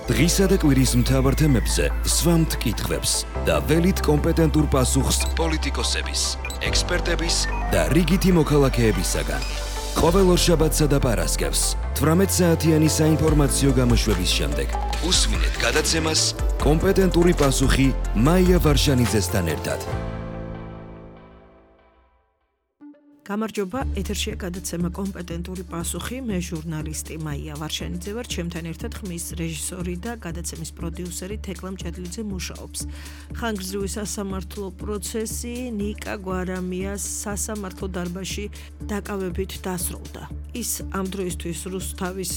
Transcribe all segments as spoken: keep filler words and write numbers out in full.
დღისა და კვირის მთავარ თემებზე სვამთ კითხვებს და ველით კომპეტენტურ პასუხს პოლიტიკოსების, ექსპერტების და რიგითი მოქალაქეებისაგან. ყოველ ორშაბათსა და პარასკევს თვრამეტ საათიანი საინფორმაციო გამოშვების შემდეგ უსმინეთ გადაცემას კომპეტენტური პასუხი მაია ვარშანიძესთან ერთად. გამარჯობა, ეთერშია გადაცემა კომპეტენტური პასუხი, მე ჟურნალისტი მაია ვარშანიძე ვარ, ჩემთან ერთად ხმის რეჟისორი და გადაცემის პროდიუსერი თეკლა მჭედლიძე მუშაობს. ხანგრძლივი სასამართლო პროცესი ნიკა გვარამიას სასამართლო დარბაზში დაკავებით დასრულდა. ის ამ დროისთვის რუსთავის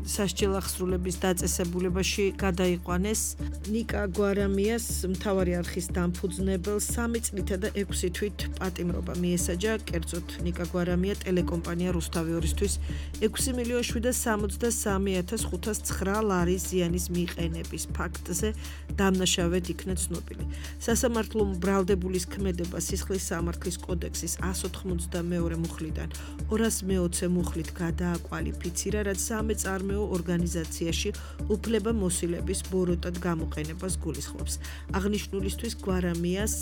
სასჯელ აღსრულების დაწესებულებაში გადაიყვანეს ნიკა გვარამიას მთავარი არხის დამფუძნებელ სამი წლითა და ექვსი თვით პატიმრობა მიესაჯა, კერძოდ ნიკა გვარამია ტელეკომპანია რუსთავი ორისთვის ექვსი მილიონი შვიდსა სამოცდასამი ათას ხუთას ცხრა ლარის ზიანის მიყენების ფაქტზე დამნაშავედ იქნა ცნობილი. სასამართლომ ბრალდებულის ქმედება სისხლის სამართლის კოდექსის εκατს ოთხმოცდამეორე მუხლიდან ორას მეოცე მუხლით გადააკვალიფიცირა, რაც სამეწარმეო ორგანიზაციაში უფლება მოსილების ბოროტად გამოყენებას გულისხმობს. აღნიშნულისთვის გვარამიას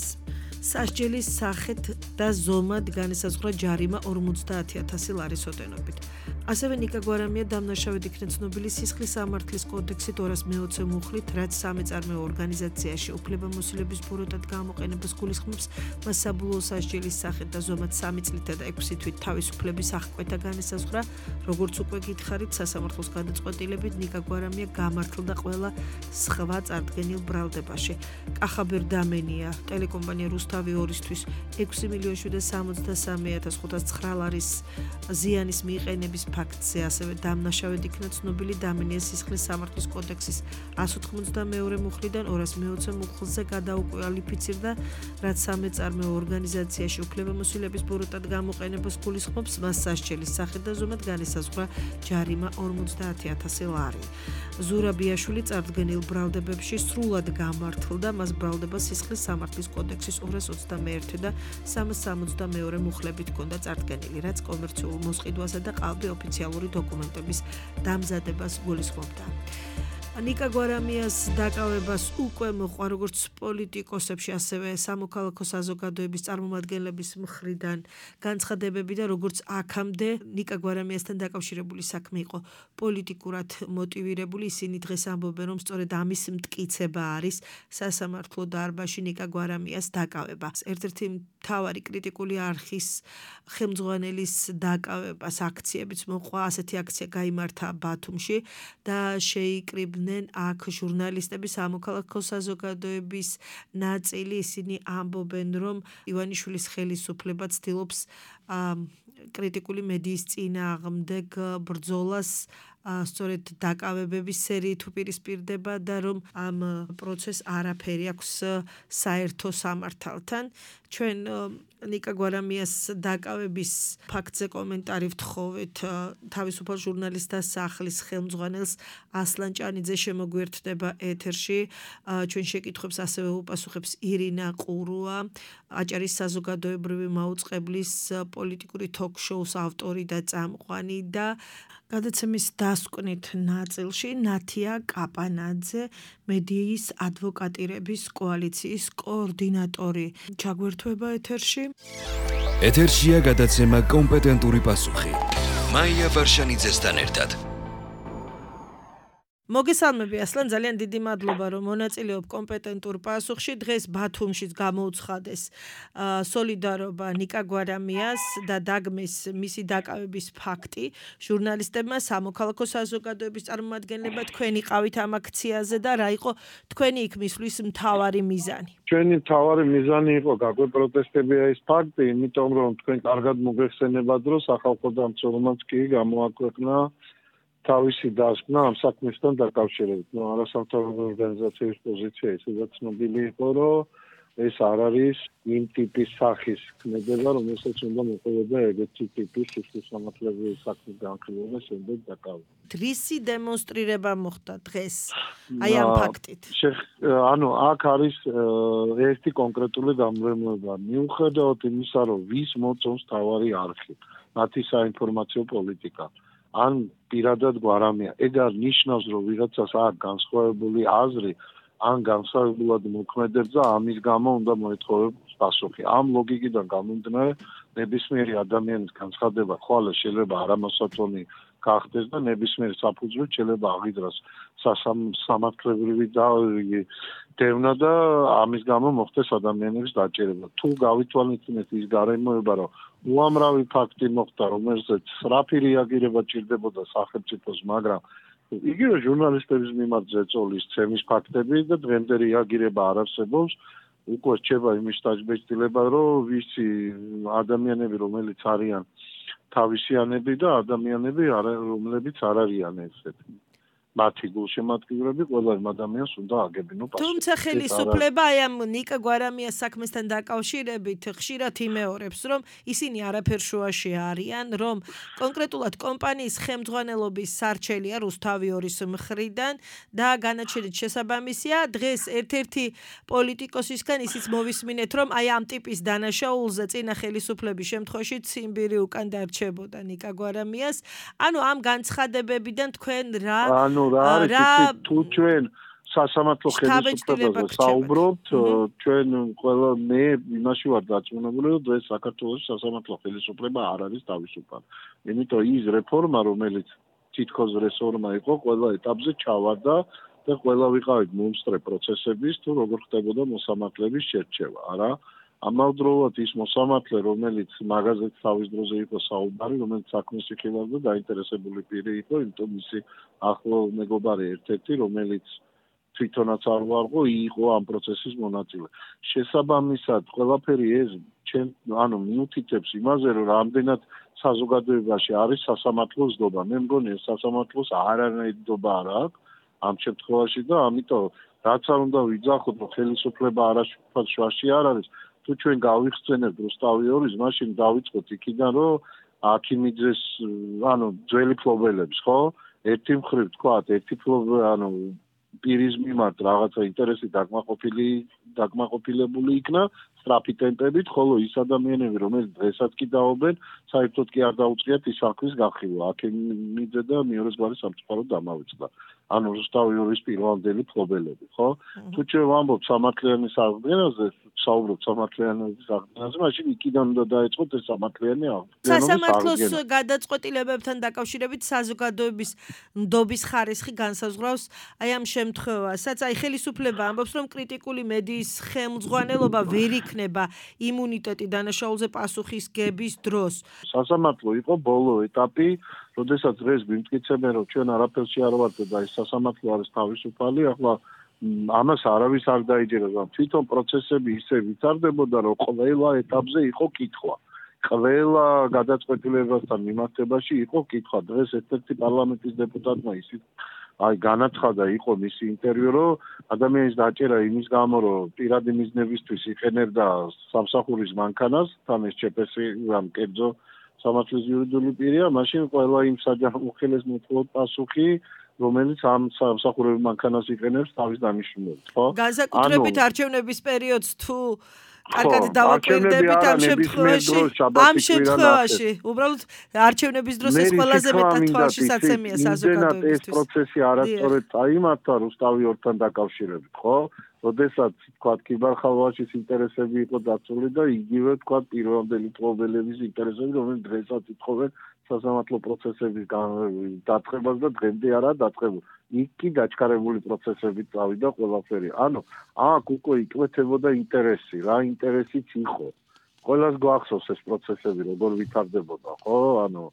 სასჯელის სახით და ზომად განესაზღვრა ჯარიმა ორმოცდაათი ათასი ლარის ოდენობით. ასევე ნიკა გვარამია დამნაშავედ იქნა ცნობილი სისხლის სამართლის კოდექსით ორას მეოცე მუხლით, რაც სამეწარმეო ორგანიზაციაში უფლება მოსილების ბოროტად გამოყენებას გულისხმობს. მას საბოლოო სასჯელის სახით და ზომად სამი წლითა და ექვსი თვით თავისუფლების აღკვეთა განესაზღვრა. როგორც უკვე გითხარით, სასამართლოს გადაწყვეტილებით ნიკა გვარამია გამართლდა ყველა სხვა წარდგენილ ბრალდებაში. კახაბერ დამენია ტელეკომპანია რუსთავი ორისთვის ექვსი მილიონი შვიდსა სამოცდასამი ათას ხუთას ცხრა ლარის ზიანის მიყენების ფაქტზე, ასევე დამნაშავედ იქნა ცნობილი დამენიას სისხლის სამართლის კოდექსის εκατს ოთხმოცდამეორე მუხლიდან ორას მეოცე მუხლზე გადაუკვალიფიცირდა, რაც სამეწარმეო ორგანიზაციაში უფლებამოსილების ბოროტად გამოყენებას გულისხმობს. მას სასჯელის სახით და ზომად განესაზღვრა ჯარიმა ორმოცდაათი ათასი ლარი. ზურაბიაშვილი წარდგენილ ბრალდებებში სრულად გამართლდა, მას ბრალდება სისხლის სამართლის კოდექსის ორას ოცდამეერთე და სამას სამოცდამეორე მუხლებით ჰქონდა წარდგენილი, რაც კომერციულ მოსყიდვასა და ყალბი ოფიციალური დოკუმენტების დამზადებას გულისხმობდა. ნიკა გვარამიას დაკავებას უკვე მოყვა როგორც პოლიტიკოსებში, ასევე სამოქალაქო საზოგადოების წარმომადგენლების მხრიდან განცხადებები და როგორც აქამდე ნიკა გვარამიასთან დაკავშირებული საქმე იყო პოლიტიკურად მოტივირებული. ისინი დღეს ამბობენ, რომ სწორედ ამის მტკიცება არის სასამართლო დარბაზში ნიკა გვარამიას დაკავება. ერთ-ერთი მთავარი კრიტიკული არხის ხელმძღვანელის დაკავებას აქციებიც მოყვა. ასეთი აქცია გაიმართა ბათუმში და შეიკრიბნენ აქ ჟურნალისტები, სამოქალაქო საზოგადოების ნაწილი. ისინი ამბობენ, რომ ივანიშვილის ხელისუფლება ცდილობს კრიტიკული მედიის წინააღმდეგ ბრძოლას სწორედ დაკავებების სერიით უპირისპირდება და რომ ამ პროცესს არაფერი აქვს საერთო სამართალთან. ჩვენ ნიკა გვარამიას დაკავების ფაქტზე კომენტარი ვთხოვეთ თავისუფალ ჟურნალისტთა სახლის ხელმძღვანელს ასლან ჭანიძე შემოგვიერთდება ეთერში. ჩვენ შეკითხვებს ასევე უპასუხებს ირინა ყურუა, აჭარის საზოგადოებრივი მაუწყებლის პოლიტიკური თოქ-შოუს ავტორი და წამყვანი და გადაცემის დასკვნით ნაწილში ნათია კაპანაძე, მედიის ადვოკატირების კოალიციის კოორდინატორი. ჩაგვერთვება ეთერში. ეთერშია გადაცემა კომპეტენტური პასუხი. მაია ვარშანიძესთან ერთად. მოგესალმები ასლან, ძალიან დიდი მადლობა რომ მონაწილეობ კომპეტენტურ პასუხში. დღეს ბათუმშიც გამოუცხადეს სოლიდარობა ნიკა გვარამიას და დაგმეს მისი დაკავების ფაქტი. ჟურნალისტებმა, სამოქალაქო საზოგადოების წარმომადგენლებმა თქვენი ყავით ამ აქციაზე და რა იყო თქვენი იქ მისვლის მთავარი მიზანი? ჩვენი მთავარი მიზანი იყო გაგვეპროტესტებია ეს ფაქტი, იმიტომ რომ თქვენ კარგად მოგეხსენებათ, რომ სახალხო დამცველობაც კი გამოაქვეყნა თავისი დასკვნა ამ საქმესთან დაკავშირებით. ნუ არასამთავრობო ორგანიზაციის პოზიცია ისედაც ცნობილი იყო, რომ ეს არ არის იმ ტიპის სახის ქმედება, რომელსაც უნდა მოყოლოდა ეგეთი ტიპის სისხლის სამართლების საქმის განხილვა შემდეგ დაკავება. რისი დემონსტრირება მოხდა დღეს აი ამ ფაქტით? ანუ აქ არის ერთი კონკრეტული გამრემლება. მიუხედავად იმისა, რომ ვის მოწონს თავარი არხი, მათი საინფორმაციო პოლიტიკა. ან პირადად გვარამია. ეგ არ ნიშნავს, რომ ვიღაცას აქვს განსხვავებული აზრი, ან განსხვავებულად მოქმედებს და ამის გამო უნდა მოეთხოვოს პასუხი. ამ ლოგიკიდან გამომდინარე, ნებისმიერი ადამიანის განცხადება ხვალე შეიძლება არამოსათონი გახდეს და ნებისმიერ საფუძვლად შეიძლება აღიძრას სასამართლობრივი დევნა და ამის გამო მოხდეს ადამიანების დაჭერება. თუ გავითვალისწინეთ ის გარემოება, რომ უამრავი ფაქტი მოხდა, რომელზეც სწრაფი რეაგირება ჭირდებოდა სახელმწიფოს, მაგრამ იგივე ჟურნალისტების მიმართ ზეწოლის ცემის ფაქტები და დღემდე რეაგირება არ არსებობს. უკვე რჩება იმის დაჯბეჭდილება, რომ ვიცი ადამიანები, რომელიც არიან თავისიანები და ადამიანები, რომლებიც არ არიან ესეთი. მათი გულშემატკივრები ყველა ადამიანს უნდა აგებინო პასუხი. თუმცა ხელისუფლება აი ამ ნიკა გვარამიას საქმესთან დაკავშირებით ხშირად იმეორებს, რომ ისინი არაფერ შუაში არიან, რომ კონკრეტულად კომპანიის ხელმძღვანელობის სარჩელია რუსთავი ორის მხრიდან და განაჩენით შესაბამისია, დღეს ერთ-ერთი პოლიტიკოსისგან ისიც მოვისმინეთ, რომ აი ამ ტიპის დანაშაულზე წინა ხელისუფლების შემთხვევაში ციმბირი უკან დარჩებოდა ნიკა გვარამიას. ანუ ამ განცხადებებიდან თქვენ რა რა არის თუ ჩვენ სასამართლო ხელისუფლებაზე საუბრობთ, ჩვენ ყველა მე იმაში ვარ დარწმუნებული, რომ დღეს საქართველოს სასამართლო ხელისუფლება არ არის თავისუფალი. იმიტომ ის რეფორმა, რომელიც თითქოს რეფორმა იყო, ყველა ეტაპზე ჩავარდა და ყველა ვიყავით მომსწრე პროცესების, თუ როგორ ხდებოდა მოსამართლეების შერჩევა, არა? ამავდროულად ის მოსამართლე, რომელიც მაგაზეც თავის დროზე იყო საუბარი, რომელიც საქმეს იხილავდა, დაინტერესებული პირი იყო, იმიტომ მისი ახლო მეგობარი ერთ-ერთი, რომელიც თვითონაც არ ვარღო, იყო ამ პროცესის მონაწილე. შესაბამისად, ყველაფერი ეს ჩვენ ანუ მიუთითებს იმაზე, რომ რამდენად საზოგადოებაში არის სასამართლოს დობა. მე მგონი ეს სასამართლოს არანაირი დობა არ აქვს ამ შემთხვევაში და ამიტომ რაც არ უნდა ვიძახოთ, რომ ხელისუფლება არაშფოთად შუაში არ არის. თუ ჩვენ გავიხსენებთ რუსთავი ორის, მაშინ დავიწყოთ იქიდან, რომ აქიმიძეს, ანუ ძველი ფლობელებს, ხო? ერთი მხრივ თქვათ, ერთი ფლობელი, ანუ პირის მიმართ რაღაცა ინტერესი დაკმაყოფილი, დაკმაყოფილებული იქნა სწრაფი ტემპებით, ხოლო ის ადამიანები, რომელიც დღესაც კი დაობენ, საერთოდ კი არ დაუწყიათ ის საქმის გახილვა. აქიმიძე და მეორეს გვარი სამწუხაროდ დამავიწყდა. ანუ რუსთავი ორის პირვანდელი ფლობელები, ხო? თუ ჩვენ ვამბობთ სამართლიანი აღდგენაზე, საუბრობთ სამართლიანობის აღდგენაზე, მაშინ იქიდან უნდა დაეწყოთ ეს სამართლიანი აღდგენა. სასამართლოს გადაწყვეტილებებთან დაკავშირებით საზოგადოების ნდობის ხარისხი განსაზღვრავს აი ამ შემთხვევასაც. აი ხელისუფლება ამბობს, რომ კრიტიკული მედიის ხელმძღვანელობა ვერ იქნება იმუნიტეტი დანაშაულზე პასუხისგების დროს. სასამართლო იყო ბოლო ეტაპი, როდესაც დღეს გვიმტკიცებენ, რომ ჩვენ არაფერში არ ვართ და ეს სასამართლო არის თავისუფალი, ახლა ამას არავის არ დაიჯერება. თვითონ პროცესები ისე ვითარდებოდა, რომ ყველა ეტაპზე იყო კითხვა. ყველა გადაწყვეტილებასთან მიმართებაში იყო კითხვა. დღეს ერთ-ერთი პარლამენტის დეპუტატმა ისიც აი განაცხადა, იყო მისი ინტერვიუ, რომ ადამიანის დაჭერა იმის გამო, რომ პირადი მიზნებისთვის იყენებდა სამსახურის მანქანას, თან ეს ჩეპესი რამ კერძო სამართლის იურიდიული პირია, მაშინ ყველა იმ საჯარიმოხელეს მოთხოვოთ პასუხი, რომელიც ამ სამსახურების მანქანას იყენებს თავის დანიშნულებით, ხო? განსაკუთრებით არჩევნების პერიოდს თუ კარგად დავაკვირდებით ამ შემთხვევაში, ამ შემთხვევაში, უბრალოდ არჩევნების დროს ეს ყველაზე მეტად თვალშისაცემია საზოგადოებისთვის. ეს პროცესი არასწორად წაიმართა რუსთავი ორთან დაკავშირებით, ხო? როდესაც თქვა კიბარხალვაშის ინტერესები იყო დაცული და იგივე თქვა პირვანდელი ფლობელების ინტერესები, რომელიც დღესაც ითხოვენ სასამართლო პროცესების დაწყებას და დღემდე არაა დაწყებული. იქ კი დაჩქარებული პროცესებით წავიდა ყველაფერი. ანუ აქ უკვე იკვეთებოდა ინტერესი, რა ინტერესიც იყო. ყველას გვახსოვს ეს პროცესები როგორ ვითარდებოდა, ხო? ანუ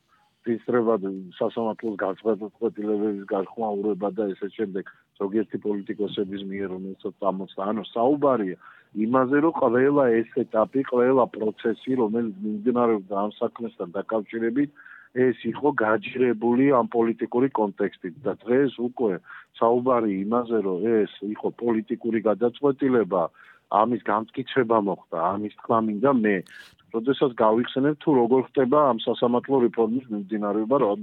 ისწრებად სასამართლოს განცხადებების გახმაურება და ესე შემდეგ ზოგიერთი პოლიტიკოსების მიერ რომელსაც ამოწდა. ანუ საუბარია იმაზე, რომ ყველა ეს ეტაპი, ყველა პროცესი, რომელიც მიმდინარეობდა ამ საქმესთან დაკავშირებით, ეს იყო გაჯერებული ამ პოლიტიკური კონტექსტით და დღეს უკვე საუბარი იმაზე, რომ ეს იყო პოლიტიკური გადაწყვეტილება, ამის გამტკიცება მოხდა, ამის თქმა მინდა მე. როდესაც გავიხსენებ თუ როგორ ხდება ამ სასამართლო რეფორმის მიმდინარეობა, რომ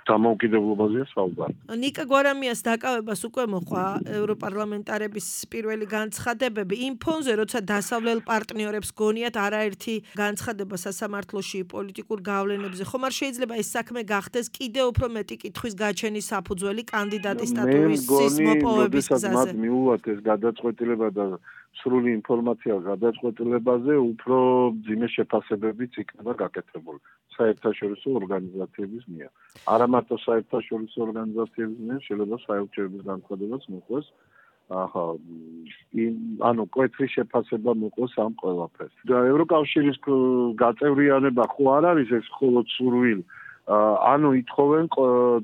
დამოუკიდებლობაზეა საუბარი. ნიკა გვარამიას დაკავებას უკვე მოყვა ევროპარლამენტარების პირველი განცხადებები იმ ფონზე, როცა დასავლელ პარტნიორებს გონიათ არაერთი განცხადება სასამართლოში პოლიტიკურ გავლენებზე, ხომ არ შეიძლება ეს საქმე გახდეს კიდევ უფრო მეტი კითხვის გაჩენის საფუძველი კანდიდატის სტატუსის მოპოვების გზაზე? მათ მიუვათ ეს გადაწყვეტილება და სრული ინფორმაცია გადაწყვეტილებაზე, უფრო მძიმე შეფასებებიც იქნება გაკეთებული საერთაშორისო ორგანიზაციების მიერ. არა მარტო საერთაშორისო ორგანიზაციების მიერ, შეიძლება საელჩოების განცხადებაც მოყვეს. ახლა ანუ კვეთრი შეფასება მოყვეს ამ ყველაფერს. და ევროკავშირის გაწევრიანება ხო არ არის ეს მხოლოდ სურვილი. ანუ ითხოვენ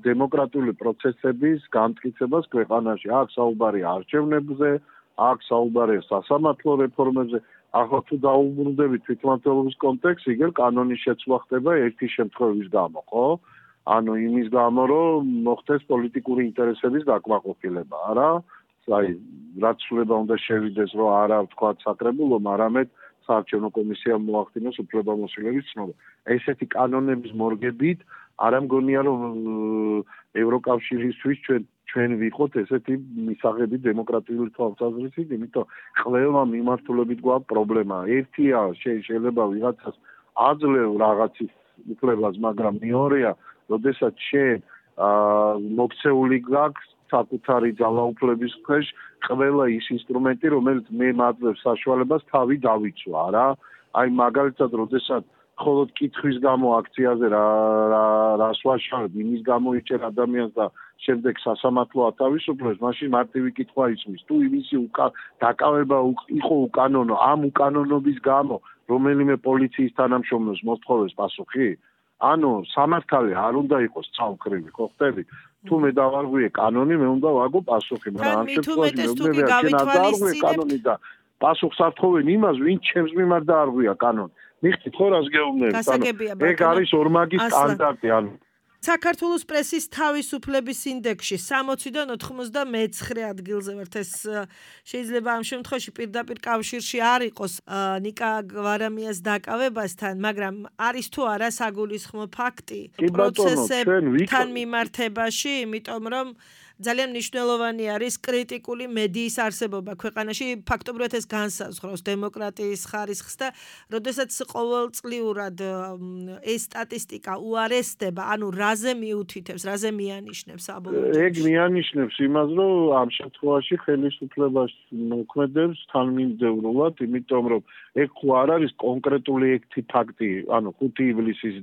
დემოკრატიული პროცესების განმტკიცებას ქვეყანაში. აქ საუბარია არჩევნებზე, აქ საუბარია სასამართლო რეფორმებზე. ახლა თუ დაუბრუნდებით თვითმმართველობის კონტექსტს, იგივე კანონის შეცვლა ხდება ერთი შემთხვევის გამო, ხო? ანუ იმის გამო, რომ მოხდეს პოლიტიკური ინტერესების დაკმაყოფილება, არა? აი, რაც შეიძლება უნდა შევიდეს, რომ არა ვთქვათ საკრებულომ, არამედ საარჩევნო კომისიამ მოახდინოს უფლებამოსილების ცნობა. ესეთი კანონების მორგებით არა მგონია, რომ ევროკავშირისთვის ჩვენ ჩვენ ვიყოთ ესეთი მისაღები დემოკრატიული თვალსაზრისით, იმიტომ ყველა მიმართულებით გვაქვს პრობლემა. ერთია შეიძლება ვიღაცას აძლევ რაღაცის უფლებას, მაგრამ მეორეა, როდესაც შენ მოქცეული გაქვს საკუთარი ძალაუფლების ქვეშ ყველა ის ინსტრუმენტი, რომელიც მე მაძლევს საშუალებას თავი დავიცვა, რა. აი მაგალითად, როდესაც მხოლოდ კითხვის გამო აქციაზე რა რას ვაშავებ, იმის გამო იჭერ ადამიანს და შემდეგ სასამართლო ათავისუფლებს, მაშინ მარტივი კითხვა ისმის. თუ იმისი დაკავება იყო უკანონო, ამ უკანონობის გამო რომელიმე პოლიციის თანამშრომელს მოსთხოვეს პასუხი? ანუ სამართალი არ უნდა იყოს ცალკრივი, ხო ხტები? თუ მე დავარღვიე კანონი, მე უნდა ვაგო პასუხი, მაგრამ ამ შემთხვევაში მე გავითვალისწინებ კანონი და პასუხს არ თხოვენ იმას, ვინც ჩემს მიმართ დაარღვია კანონი. მიხდით ხო რას გეუბნებით? ანუ ეგ არის ორმაგის სტანდარტი, ანუ საქართველოს პრესის თავისუფლების ინდექსში სამოციდან ოთხმოცდამეცხრე ადგილზე ვართ. ეს შეიძლება ამ შემთხვევაში პირდაპირ კავშირში არ იყოს ნიკა გვარამიას დაკავებასთან, მაგრამ არის თუ არა საგულისხმო ფაქტი პროცესებთან მიმართებაში, იმიტომ რომ ძალიან მნიშვნელოვანი არის კრიტიკული მედიის არსებობა ქვეყანაში, ფაქტობრივად ეს განსაზღვრავს დემოკრატიის ხარისხს და როდესაც ყოველწლიურად ეს სტატისტიკა უარესდება, ანუ რაზე მიუთითებს, რაზე მიანიშნებს საბოლოო? ეგ მიანიშნებს იმას, რომ ამ შემთხვევაში ხელისუფლებას მოქმედებს თანმიმდევრულად, იმიტომ რომ ეგ ხო არ არის კონკრეტული ერთი ფაქტი, ანუ ხუთი ივლისის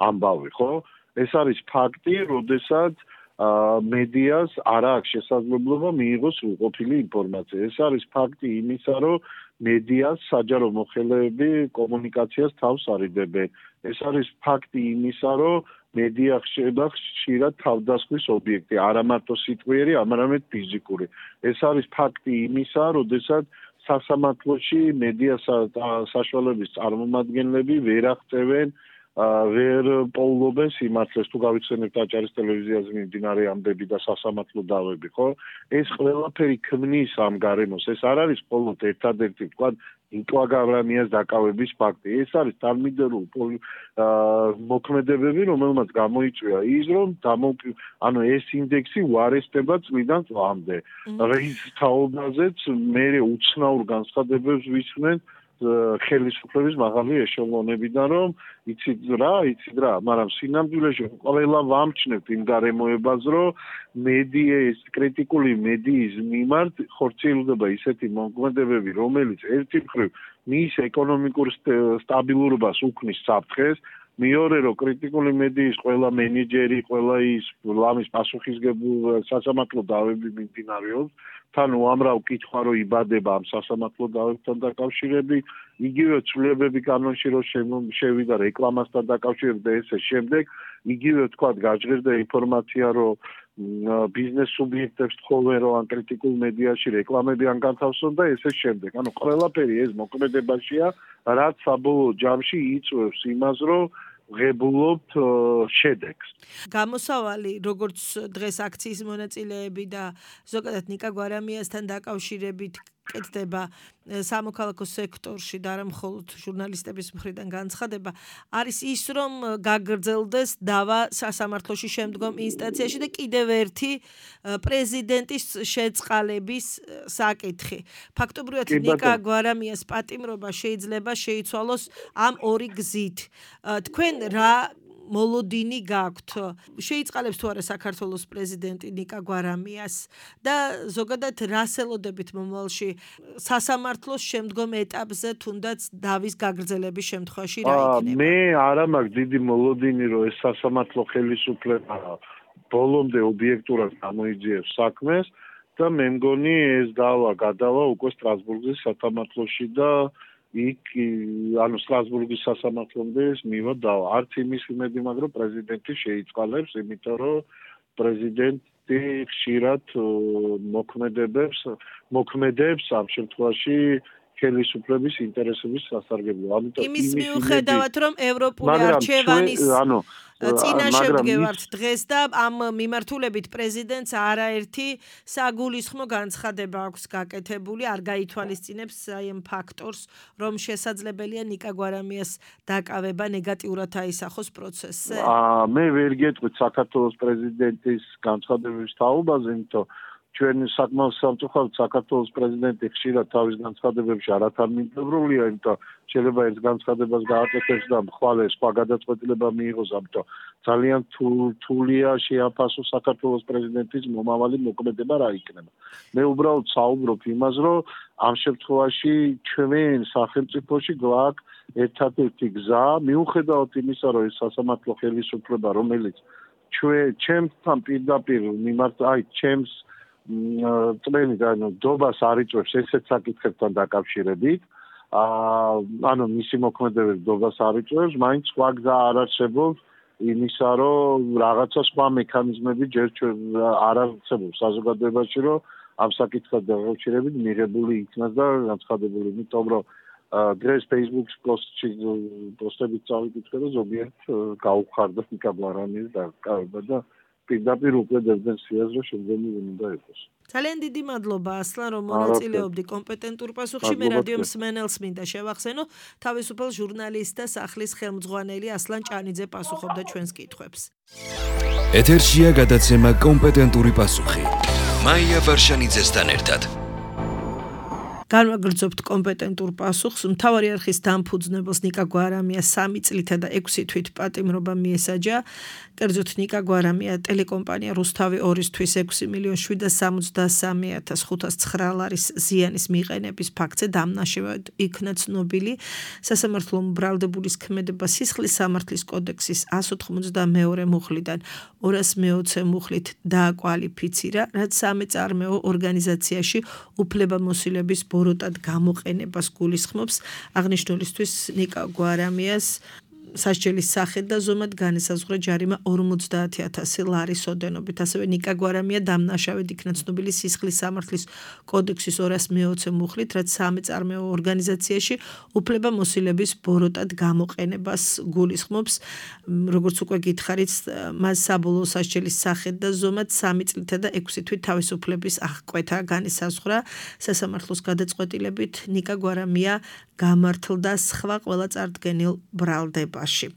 ამბავი, ხო? ეს არის ფაქტი, როდესაც მედიას არ აქვს შესაძლებლობა მიიღოს უყოფილი ინფორმაცია. ეს არის ფაქტი იმისა, რომ მედიას საჯარო მოხელეები კომუნიკაციას თავს არიდებენ. ეს არის ფაქტი იმისა, რომ მედია ხდება ხშირად თავდასხმის ობიექტი, არა მარტო სიტყვიერი, არამედ ფიზიკური. ეს არის ფაქტი იმისა, როდესაც სასამართლოში მედიას საშუალების წარმომადგენლები ვერ აღწევენ ვერ პოულობენ სიმართლეს. თუ გავიხსენებთ აჭარის ტელევიზიაზე მიმდინარე ამბები და სასამართლო დავები, ხო? ეს ყველაფერი ქმნის ამ გარემოს. ეს არ არის მხოლოდ ერთადერთი, თქვა, ნიკა გვარამიას დაკავების ფაქტი. ეს არის თანმიმდევრული მოქმედებები, რომელმაც გამოიწვია ის, რომ ანუ ეს ინდექსი უარესდება წლიდან წლამდე. რის თაობაზეც მე უცნაურ განცხადებებს ვისმენ ხელისუფლების მაღალი ეშელონებიდან, რომ იცით რა, იცით რა, მაგრამ სინამდვილეში ყველა ვამჩნევთ იმ გარემოებას, რომ მედიის, კრიტიკული მედიის მიმართ ხორციელდება ისეთი მოქმედებები, რომელიც ერთი მხრივ მის ეკონომიკურ სტაბილურობას უქმნის საფრთხეს, მეორე რომ კრიტიკული მედიის ყველა მენეჯერი, ყველა ის ლამის პასუხისმგებელი სასამართლო დავები მიმდინარეობს, თან უამრავ კითხვა რო იბადება ამ სასამართლო დავებთან დაკავშირებით, იგივე ცვლილებები კანონში რო შევიდა რეკლამასთან დაკავშირებით და ესე შემდეგ, იგივე თქვა გაჟღერდა ინფორმაცია რომ ბიზნეს სუბიექტებს თხოვენ რომ ან კრიტიკულ მედიაში რეკლამები ან განთავსონ და ესე შემდეგ. ანუ ყველაფერი ეს მოქმედებაშია, რაც საბოლოო ჯამში იწვევს იმას, რომ ღებულობთ შედეგს. გამოსავალი, როგორც დღეს აქციის მონაწილეები და ზოგადად ნიკა გვარამიასთან დაკავშირებით კეთდება სამოქალაქო სექტორში და არა მხოლოდ ჟურნალისტების მხრიდან განცხადება არის ის, რომ გაგრძელდეს დავა სასამართლოში შემდგომ ინსტანციაში და კიდევ ერთი პრეზიდენტის შეწყალების საკითხი. ფაქტობრივად ნიკა გვარამიას პატიმრობა შეიძლება შეიცვალოს ამ ორი გზით. თქვენ რა მოლოდინი გაქვთ? შეიწყალებს თუ არა საქართველოს პრეზიდენტი ნიკა გვარამიას და ზოგადად რას ელოდებით მომავალში სასამართლოს შემდგომ ეტაპზე, თუნდაც დავის გაგრძელების შემთხვევაში რა იქნება? მე არა მაქვს დიდი მოლოდინი, რომ ეს სასამართლო ხელისუფლება ბოლომდე ობიექტურად გამოიძიებს საქმეს და მე მგონი ეს დავა გადავა უკვე სტრასბურგის სასამართლოში და იქ ანუ სტრასბურგის სასამართლომდე მივა დავა. არც იმის იმედი მაქვს, რომ პრეზიდენტი შეიწყალებს, იმიტომ რომ პრეზიდენტი ხშირად მოქმედებებს, მოქმედებს ამ შემთხვევაში ხელისუფლების ინტერესების სასარგებლოდ. ამიტომ იმის მიუხედავად, რომ ევროპული არჩევანის ანუ წინაშე ვდგევართ დღეს და ამ მიმართულებით პრეზიდენტს არაერთი საგულისხმო განცხადება აქვს გაკეთებული, არ გაითვალისწინებს აი ამ ფაქტორს, რომ შესაძლებელია ნიკა გვარამიას დაკავება ნეგატიურად აისახოს პროცესზე. მე ვერ გეტყვით საქართველოს პრეზიდენტის განცხადებების თაობაზე, იმიტომ ჩვენ საკმაოდ სამწუხაროდ საქართველოს პრეზიდენტი ხშირად თავის განცხადებებში არათანმიმდევრულია, იმიტომ შეიძლება ერთ განცხადებას გააკეთებს და მხვალე სხვა გადაწყვეტილება მიიღოს, ამიტომ ძალიან რთულია შეაფასოს საქართველოს პრეზიდენტის მომავალი მოქმედება რა იქნება. მე უბრალოდ საუბრობ იმას, რომ ამ შემთხვევაში ჩვენ სახელმწიფოში გვაქვს ერთადერთი გზა, მიუხედავად იმისა, რომ ეს სასამართლო ხელისუფლება, რომელიც ჩვენ ჩემთან პირდაპირ მიმართ, აი ჩემს წმენი და ანუ დობას არ იწვევს ესეთ საკითხებთან დაკავშირებით. ანუ მისი მოქმედების დობას არ იწვევს, მაინც სხვა გზა არ არსებობს იმისა, რომ რაღაცა სხვა მექანიზმები ჯერ არ არსებობს საზოგადოებაში, რომ ამ საკითხთან დაკავშირებით მიღებული იქნას და განცხადებული, იმიტომ რომ დღეს Facebook-ის პოსტში პოსტებით წავიკითხე და ზოგიერთ გაუხარდა ნიკა გვარამიას დაკავება და პირდაპირ უკლედებდნენ სიას, რომ შემდგომი უნდა იყოს. ძალიან დიდი მადლობა ასლან, რომ მონაწილეობდი კომპეტენტურ პასუხში. მე რადიო მსმენელს მინდა შევახსენო, თავისუფალ ჟურნალისტ და სახლის ხელმძღვანელი ასლან ჭანიძე პასუხობდა ჩვენს კითხვებს. ეთერშია გადაცემა კომპეტენტური პასუხი. მაია ვარშანიძესთან ერთად. განვაგრძობთ კომპეტენტურ პასუხს. მთავარი არხის დამფუძნებელს ნიკა გვარამია სამი წლითა და ექვსი თვით პატიმრობა მიესაჯა. კერძოდ ნიკა გვარამია ტელეკომპანია რუსთავი ორისთვის ექვსი მილიონი შვიდსათ სამოცდასამი ათას ხუთას ცხრა ლარის ზიანის მიყენების ფაქტზე დამნაშავედ იქნა ცნობილი. სასამართლომ ბრალდებულის ქმედება სისხლის სამართლის კოდექსის εκατს ოთხმოცდამეორე მუხლიდან ორას მეოცე მუხლით დააკვალიფიცირა, რაც სამეწარმეო ორგანიზაციაში უფლებამოსილების ბოროტად გამოყენებას გულისხმობს. აღნიშნულისთვის ნიკა გვარამიას სასჯელის სახით და ზომად განესაზღვრა ჯარიმა ორმოცდაათი ათასი ლარის ოდენობით. ასევე ნიკა გვარამია დამნაშავედ იქნა ცნობილი სისხლის სამართლის კოდექსის ორას მეოცე მუხლით, რაც სამეწარმეო ორგანიზაციაში უფლებამოსილების ბოროტად გამოყენებას გულისხმობს. როგორც უკვე გითხარით, მას საბოლოო სასჯელის სახით და ზომად სამი წლითა და ექვსი თვით თავისუფლების აღკვეთა განესაზღვრა. სასამართლოს გადაწყვეტილებით ნიკა გვარამია გამართლდა სხვა ყველა წარდგენილ ბრალდებაში.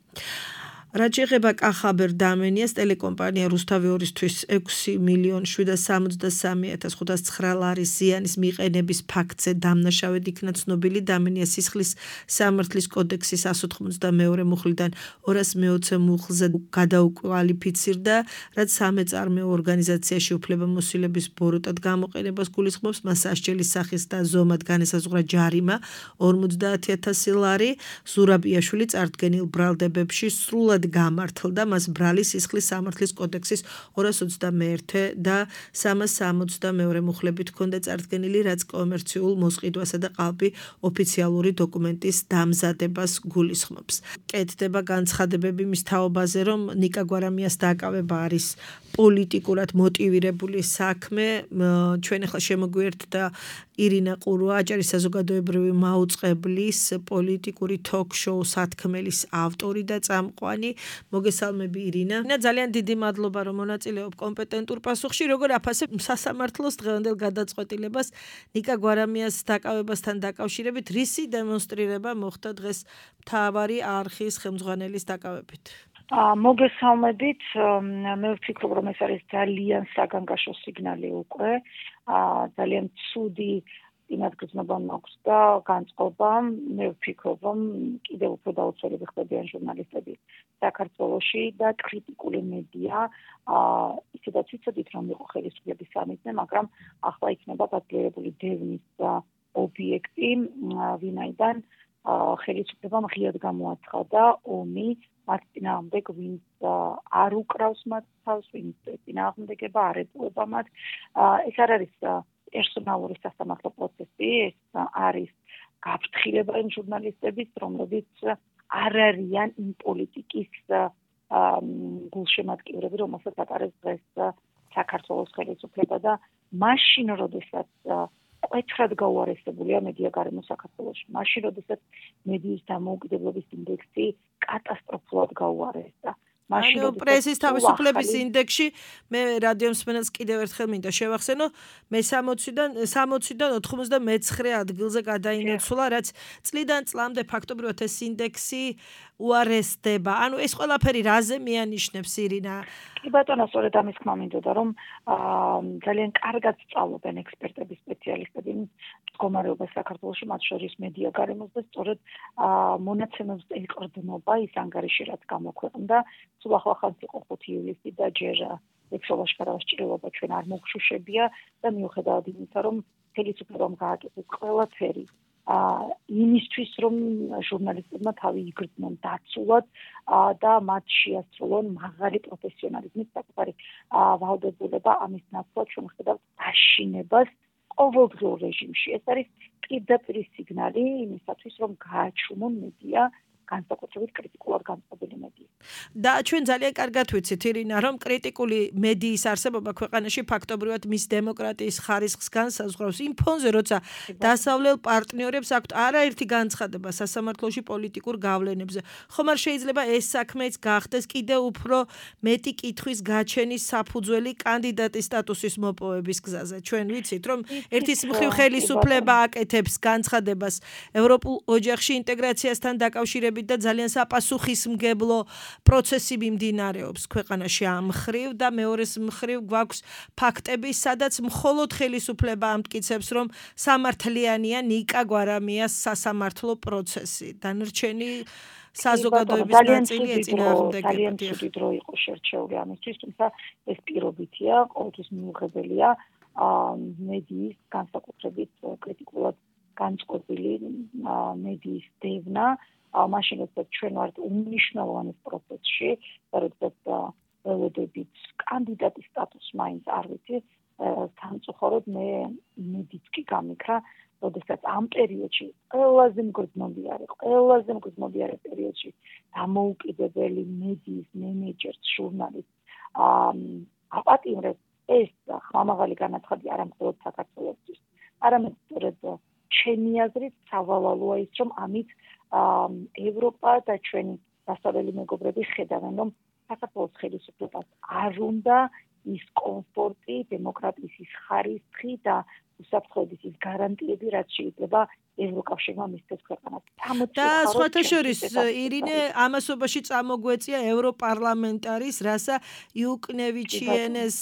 რაც შეეხება კახაბერ დამენიას ტელეკომპანია რუსთავი ორისთვის ექვსი მილიონი შვიდსათ სამოცდასამი ათას ხუთას ცხრა ლარის ზიანის მიყენების ფაქტზე დამნაშავედ იქნა ცნობილი. დამენია სისხლის სამართლის კოდექსის εκατს ოთხმოცდამეორე მუხლიდან ორას მეოცე მუხლზე გადაუკვალიფიცირდა, რაც სამეწარმეო ორგანიზაციაში უფლებამოსილების ბოროტად გამოყენებას გულისხმობს. მას სასჯელის სახით და ზომად განესაზღვრა ჯარიმა ორმოცდაათი ათასი ლარი. ზურაბიაშვილი წარდგენილ ბრალდებებში სრულად გამართლდა, მას ბრალი სისხლის სამართლის კოდექსის ორას ოცდამეერთე და სამას სამოცდამეორე მუხლებით ჰქონდა წარდგენილი, რაც კომერციულ მოსყიდვასა და ყალბი ოფიციალური დოკუმენტის დამზადებას გულისხმობს. კეთდება განცხადებები მის თაობაზე, რომ ნიკა გვარამიას დაკავება არის პოლიტიკურად მოტივირებული საქმე. ჩვენ ახლა შემოგვიერთდა ირინა ყურვა, აჭარის საზოგადოებრივი მაუწყებლის პოლიტიკური თოქ-შოუ სათქმელის ავტორი და წამყვანი. მოგესალმები ირინა. ძალიან დიდი მადლობა რომ მონაწილეობ კომპეტენტურ პასუხში. როგორ აფასებ სასამართლოს დღევანდელ გადაწყვეტილებას ნიკა გვარამიას დაკავებასთან დაკავშირებით, რისი დემონსტრირება მოხდა დღეს მთავარი არხის ხელმძღვანელის დაკავებით? მოგესალმებით, მე ვფიქრობ, რომ ეს არის ძალიან საგანგაშო სიგნალი უკვე, ძალიან ცუდი წინადგრძნობა მაქვს და განწყობა. მე ვფიქრობ, რომ კიდევ უფრო დაუცველები ხდებიან ჟურნალისტები საქართველოში და კრიტიკული მედია, ისედაც ვიცოდით, რომ იყო ხელისუფლების სამიზნე, მაგრამ ახლა იქნება გაძლიერებული დევნის ობიექტი, ვინაიდან ხელისუფლებამ ღიად გამოაცხადა ომი მათ წინააღმდეგ, ვინც არ უკრავს მათ თავს, ვინც წინააღმდეგება არ ეპოვება მათ. ეს არ არის პერსონალური სასამართლო პროცესი, ეს არის გაფრთხილება იმ ჟურნალისტების, რომლებიც არ არიან იმ პოლიტიკის გულშემატკივრები, რომელსაც ატარებს დღეს საქართველოს ხელისუფლება და მაშინ, როდესაც კვეთრად გაუარესებულია მედია გარემო საქართველოში, მაშინ, როდესაც მედიის დამოუკიდებლობის ინდექსი კატასტროფულად გაუარესდა. ანუ პრესის თავისუფლების ინდექსში მე რადიო მსმენელს კიდევ ერთხელ მინდა შევახსენო, მე სამოციდან სამოციდან ოთხმოცდამეცხრე ადგილზე გადაინაცვლა, რაც წლიდან წლამდე ფაქტობრივად ეს ინდექსი უარესდება. ანუ ეს ყველაფერი რაზე მიანიშნებს ირინა? კი ბატონო, სწორედ ამის თქმა მინდოდა, რომ ძალიან კარგად სწავლობენ ექსპერტები, სპეციალისტები მდგომარეობას საქართველოში, მათ შორის მედია გარემოს და სწორედ მონაცემებს ეყრდნობა ის ანგარიში, რაც გამოქვეყნდა. სულ ახლახანს იყო ხუთი ივლისი და ჯერ ექსოლაში გადავასჭირებლობა ჩვენ არ მოგშუშებია და მიუხედავად იმისა, რომ ხელისუფლებამ გააკეთეს ყველაფერი იმისთვის, რომ ჟურნალისტებმა თავი იგრძნონ დაცულად და მათ შეასრულონ მაღალი პროფესიონალიზმის საკუთარი ვალდებულება, ამის ნაცვლად ჩვენ ვხედავთ დაშინებას ყოველდღიურ რეჟიმში. ეს არის პირდაპირ სიგნალი იმისათვის, რომ გააჩუმონ მედია, განსაკუთრებით კრიტიკულად განწყობილი მედია. და ჩვენ ძალიან კარგად ვიცით ირინა, რომ კრიტიკული მედიის არსებობა ქვეყანაში ფაქტობრივად მის დემოკრატიის ხარისხს განსაზღვრავს იმ ფონზე, როცა დასავლელ პარტნიორებს აქვთ არაერთი განცხადება სასამართლოში პოლიტიკურ გავლენებზე. ხომ არ შეიძლება ეს საქმეც გახდეს კიდევ უფრო მეტი კითხვის გაჩენის საფუძველი კანდიდატის სტატუსის მოპოვების გზაზე. ჩვენ ვიცით, რომ ერთის მხრივ ხელისუფლება აკეთებს განცხადებას ევროპულ ოჯახში ინტეგრაციასთან დაკავშირებით და ძალიან საპასუხისმგებლო პროცესი მიმდინარეობს ქვეყანაში ამ მხრივ და მეორეს მხრივ გვაქვს ფაქტები, სადაც მხოლოდ ხელისუფლება ამტკიცებს, რომ სამართლიანია ნიკა გვარამიას სასამართლო პროცესი. დანარჩენი საზოგადოების ნაწილი ეწინააღმდეგება. ძალიან ცუდი დრო იყო შერჩეული ამისთვის, თუმცა ეს პირობითია, ყოველთვის მიუღებელია მედიის განსაკუთრებით კრიტიკულად განწყობილი მედიის დევნა. მაშინ, როდესაც ჩვენ ვართ უმნიშვნელოვანეს პროცესში, როდესაც ველოდებით კანდიდატის სტატუსს მაინც არ ვიცი, სამწუხაროდ მე მედიც კი გამიქრა, როდესაც ამ პერიოდში ყველაზე მგრძნობიარე, ყველაზე მგრძნობიარე პერიოდში დამოუკიდებელი მედიის მენეჯერს, ჟურნალისტს აპატიმრებს, ეს ხმამაღალი განაცხადი არა მხოლოდ საქართველოსთვის, არამედ სწორედ ჩემი აზრით სავალალოა ის, რომ ამით ევროპა და ჩვენი დასავლელი მეგობრები ხედავენ, რომ საქართველოს ხელისუფლებას არ უნდა ის კომფორტი, დემოკრატიის ის ხარისხი და უსაფრთხოების ის გარანტიები, რაც შეიძლება ევროკავშირმა მისცეს ქვეყანას. და სხვათა შორის ირინე ამასობაში წამოგვეწია ევროპარლამენტარის რასა იუკნევიჩიენეს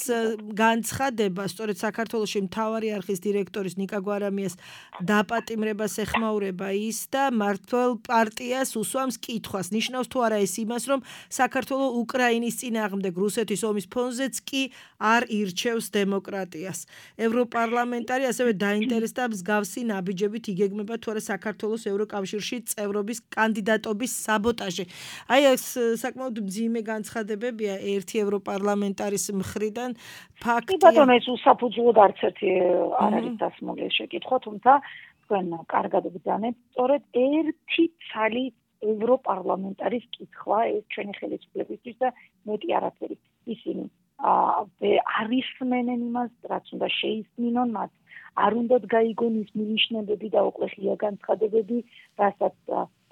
განცხადება, სწორედ საქართველოში მთავარი არხის დირექტორის ნიკა გვარამიას დაპატიმრებას ეხმაურება ის და მართლ პარტიას უსვამს კითხვას. ნიშნავს თუ არა ეს იმას, რომ საქართველო უკრაინის წინააღმდეგ რუსეთის ომის ფონზეც კი არ ირჩევს დემოკრატიას. ევროპარლამენტარი ასევე დაინტერესდა მსგავსი ნაბიჯებით იგეგმება თუ არა საქართველოს ევროკავშირში წევრობის კანდიდატობის საბოტაჟი. აი ეს საკმაოდ მძიმე განცხადებებია ერთი ევროპარლამენტარის მხრიდან. ფაქტია, ბატონო, ეს უსაფუძვლოდ არც ერთი არ არის დასმული ეს შეკითხვა, თუმცა თქვენ კარგად ბრძანეთ, სწორედ ერთი ცალი ევროპარლამენტარის კითხვა ეს ჩვენი ხელისუფლებისთვის და მეტი არაფერი. ისინი არ ისმენენ იმას, რაც უნდა შეისმინონ მათ. არ უნდათ გაიგონ ის მინიშნებები და უკვე ღია განცხადებები, რასაც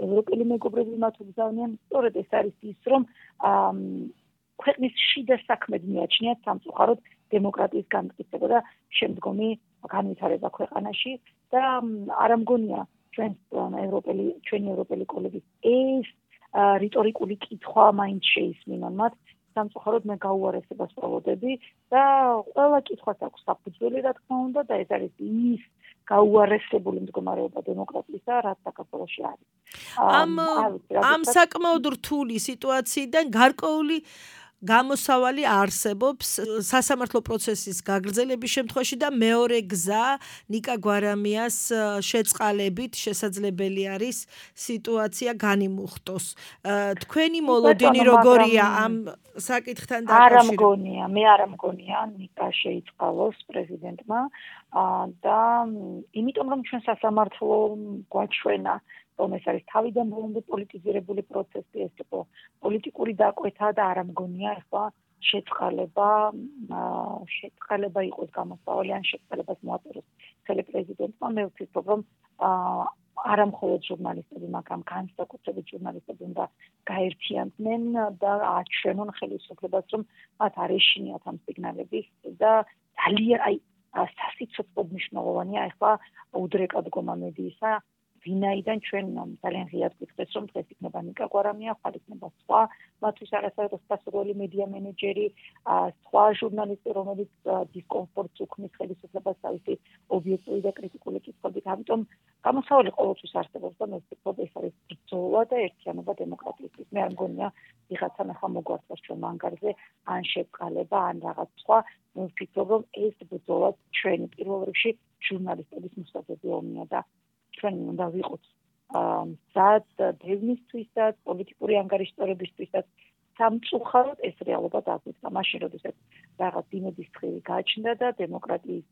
ევროპელი მეგობრები მათ უგზავნიან, სწორედ ეს არის ის, რომ ქვეყნის შიდა საქმედ მიაჩნიათ სამწუხაროდ დემოკრატიის განმტკიცება და შემდგომი განვითარება ქვეყანაში და არ ამგონია ჩვენს ევროპელი ჩვენი ევროპელი კოლეგის ეს რიტორიკული კითხვა მაინც შეისმინონ მათ. სამწუხაროდ მე გაუარესებას ვველოდები და ყველა კითხვას აქვს საფუძველი, რა თქმა უნდა, და ეს არის ის გაუარესებული მდგომარეობა დემოკრატიისა, რაც საქართველოში არის. ამ ამ საკმაოდ რთული სიტუაციიდან გარკვეული გამოსავალი არსებობს სასამართლო პროცესის გაგრძელების შემთხვევაში და მეორე გზა ნიკა გვარამიას შეწყალებით შესაძლებელი არის სიტუაცია განიმუხტოს. თქვენი მოლოდინი როგორია ამ საკითხთან დაკავშირებით? არ ამგონია, მე არ ამგონია ნიკა შეიწყალოს პრეზიდენტმა და იმიტომ რომ ჩვენ სასამართლო გვაჩვენა რომ ეს არის თავიდან ბოლომდე პოლიტიზირებული პროცესი, ეს იყო პოლიტიკური დაკვეთა და არ ამგონია ახლა შეწყალება შეწყალება იყოს გამოსავალი ან შეწყალებას მოაწეროს ხელი პრეზიდენტმა. მე ვფიქრობ რომ არა მხოლოდ ჟურნალისტები, მაგრამ განსაკუთრებით ჟურნალისტები უნდა გაერთიანდნენ და აჩვენონ ხელისუფლებას, რომ მათ არ ეშინიათ ამ სიგნალების და ძალიან აი სასიცოცხლოდ მნიშვნელოვანია ახლა უდრეკა დგომა მედიისა, ვინაიდან ჩვენ ძალიან ღიად გვიხდეს, რომ დღეს იქნება ნიკა გვარამია, ხვალ იქნება სხვა მათთვის არასაერთოდ სასურველი მედია მენეჯერი, სხვა ჟურნალისტი, რომელიც დისკომფორტს უქმნის ხელისუფლებას თავისი ობიექტური და კრიტიკული კითხვებით. ამიტომ გამოსავალი ყოველთვის არსებობს და მე ვფიქრობ, ეს არის ბრძოლა და ერთიანობა დემოკრატიისთვის. მე არ მგონია ვიღაცამ ახლა მოგვართვას ჩვენ მანგარზე ან შეწყალება ან რაღაც სხვა. მე ვფიქრობ, რომ ეს ბრძოლა ჩვენი პირველ რიგში ჟურნალისტების მოსაძები ომია და ჩვენ უნდა ვიყოთ მზად დევნისთვისაც, პოლიტიკური ანგარიშტორებისთვისაც. სამწუხაროდ ეს რეალობა დაგვიწყდა მაშინ, როდესაც რაღაც იმედის თხილი გააჩნდა და დემოკრატიის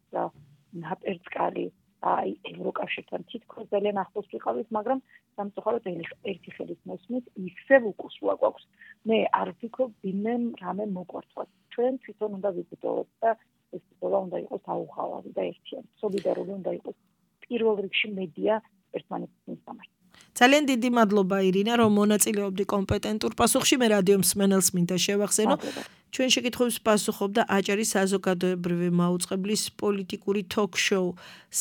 ნაპერწკალი აი ევროკავშირთან თითქოს ძალიან ახლოს ვიყავით, მაგრამ სამწუხაროდ ერთი ხელის მოსმით ისევ უკუსვა გვაქვს. მე არ ვფიქრობ, ვინმე რამე მოგვართვას. ჩვენ თვითონ უნდა ვიბრძოლოთ და ეს ბრძოლა უნდა იყოს აუღალავი და ერთიანი, სოლიდარული უნდა იყოს. პირველ რიგში მედია ერთმანეთის სამართლად. ძალიან დიდი მადლობა ირინა, რომ მონაწილეობდი კომპეტენტურ პასუხში. მე რადიო მსმენელს მინდა შევახსენო. ჩვენ შეკითხვებს პასუხობდა აჭარის საზოგადოებრივი მაუწყებლის პოლიტიკური თოქ-შოუ